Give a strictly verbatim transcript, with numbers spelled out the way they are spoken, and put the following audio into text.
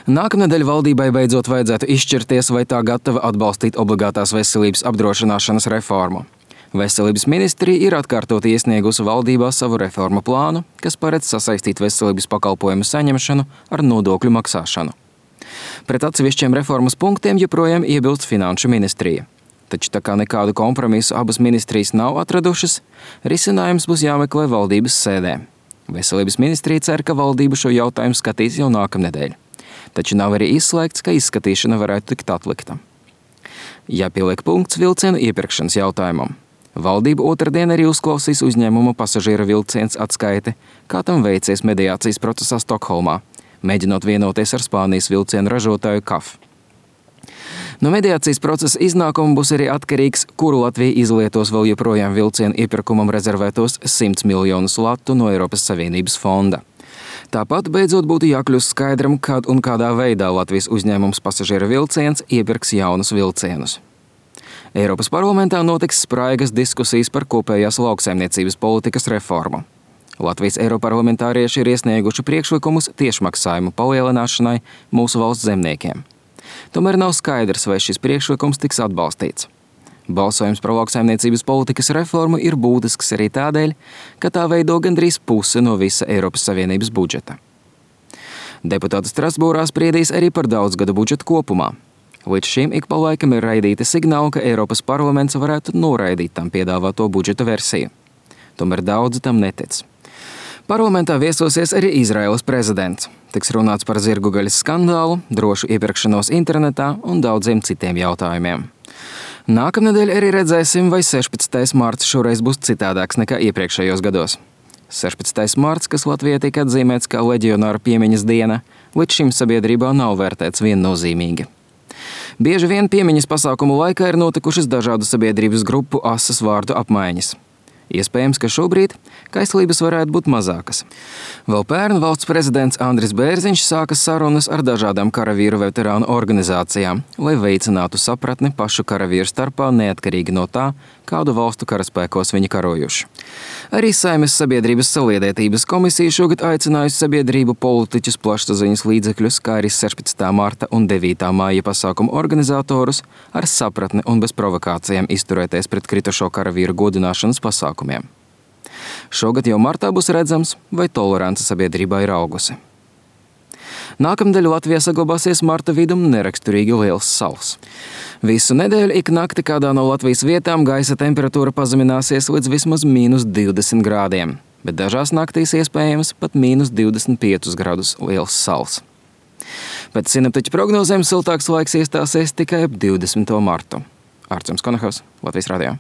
Nākamnedēļ valdībai beidzot vajadzētu izšķirties, vai tā gatava atbalstīt obligātās veselības apdrošināšanas reformu. Veselības ministrija ir atkārtoti iesniegusi valdībā savu reformu plānu, kas paredz sasaistīt veselības pakalpojumu saņemšanu ar nodokļu maksāšanu. Pret atsevišķiem reformas punktiem joprojām iebilst Finanšu ministrija. Taču tā kā nekādu kompromisu abas ministrijas nav atradušas, risinājums būs jāmeklē valdības sēdē. Veselības ministrija cer, ka valdība šo jautājumu skatīs jau nākamnedēļ. Taču nav arī izslēgts, ka izskatīšana varētu tikt atlikta. Jāpieliek punkts vilcienu iepirkšanas jautājumam. Valdība otrdien arī uzklausīs uzņēmuma pasažieru vilciens atskaiti, kā tam veicies mediācijas procesā Stokholmā, mēģinot vienoties ar Spānijas vilcienu ražotāju K A F. No mediācijas procesa iznākuma būs arī atkarīgs, kuru Latvija izlietos vēl joprojām vilcienu iepirkumam rezervētos simts miljonus latu no Eiropas Savienības fonda. Tāpat beidzot būtu jākļūst skaidram, kad un kādā veidā Latvijas uzņēmums pasažieru vilciens iepirks jaunus vilcienus. Eiropas parlamentā notiks spraigas diskusijas par kopējās lauksaimniecības politikas reformu. Latvijas eiroparlamentārieši ir iesnieguši priekšlikumus tiešmaksājumu palielināšanai mūsu valsts zemniekiem. Tomēr nav skaidrs, vai šis priekšlikums tiks atbalstīts. Balsojums par lauksaimniecības politikas reformu ir būtisks arī tādēļ, ka tā veido gandrīz pusi no visa Eiropas Savienības budžeta. Deputāti Strasbūrā spriedīs arī par daudzgadu budžetu kopumā. Līdz šim ik pa laikam ir raidīti signāli, ka Eiropas parlaments varētu noraidīt tam piedāvāto budžeta versiju. Tomēr daudzi tam netic. Parlamentā viesosies arī Izraēlas prezidents. Tiks runāts par zirgu gaļas skandālu, drošu iepirkšanos internetā un daudziem citiem jautājumiem. Nākamnedēļ arī redzēsim, vai sešpadsmitais marts šoreiz būs citādāks nekā iepriekšējos gados. sešpadsmitais marts, kas Latvijā tiek atzīmēts kā leģionāra piemiņas diena, līdz šim sabiedrībā nav vērtēts viennozīmīgi. Bieži vien piemiņas pasākumu laikā ir notikušas dažādu sabiedrības grupu asas vārdu apmaiņas. Iespējams, ka šobrīd kaislības varētu būt mazākas. Vēl pērn valsts prezidents Andris Bērziņš sāka sarunas ar dažādām karavīru veterānu organizācijām, lai veicinātu sapratni pašu karavīru starpā neatkarīgi no tā, kādu valstu karaspēkos viņi karojuši. Arī Saeimas sabiedrības saliedētības komisija šogad aicinājusi sabiedrību, politiķus, plašsaziņas līdzekļus, kā arī sešpadsmitā marta un devītā māja pasākumu organizatorus ar sapratni un bez provokācijām izturēties pret kritušo karavīru godināšanas pasākumiem. Šogad jau martā būs redzams, vai tolerance sabiedrībā ir augusi. Nākamnedēļ Latvijā saglabāsies marta vidum neraksturīgi liels sals. Visu nedēļu ik nakti kādā no Latvijas vietām gaisa temperatūra pazemināsies līdz vismaz mīnus divdesmit grādiem, bet dažās naktīs iespējams pat mīnus divdesmit piecus grādus liels sals. Pēc sinoptiķu prognozēm siltāks laiks iestāsies tikai ap divdesmito martu. Artjums Konahaus, Latvijas radio.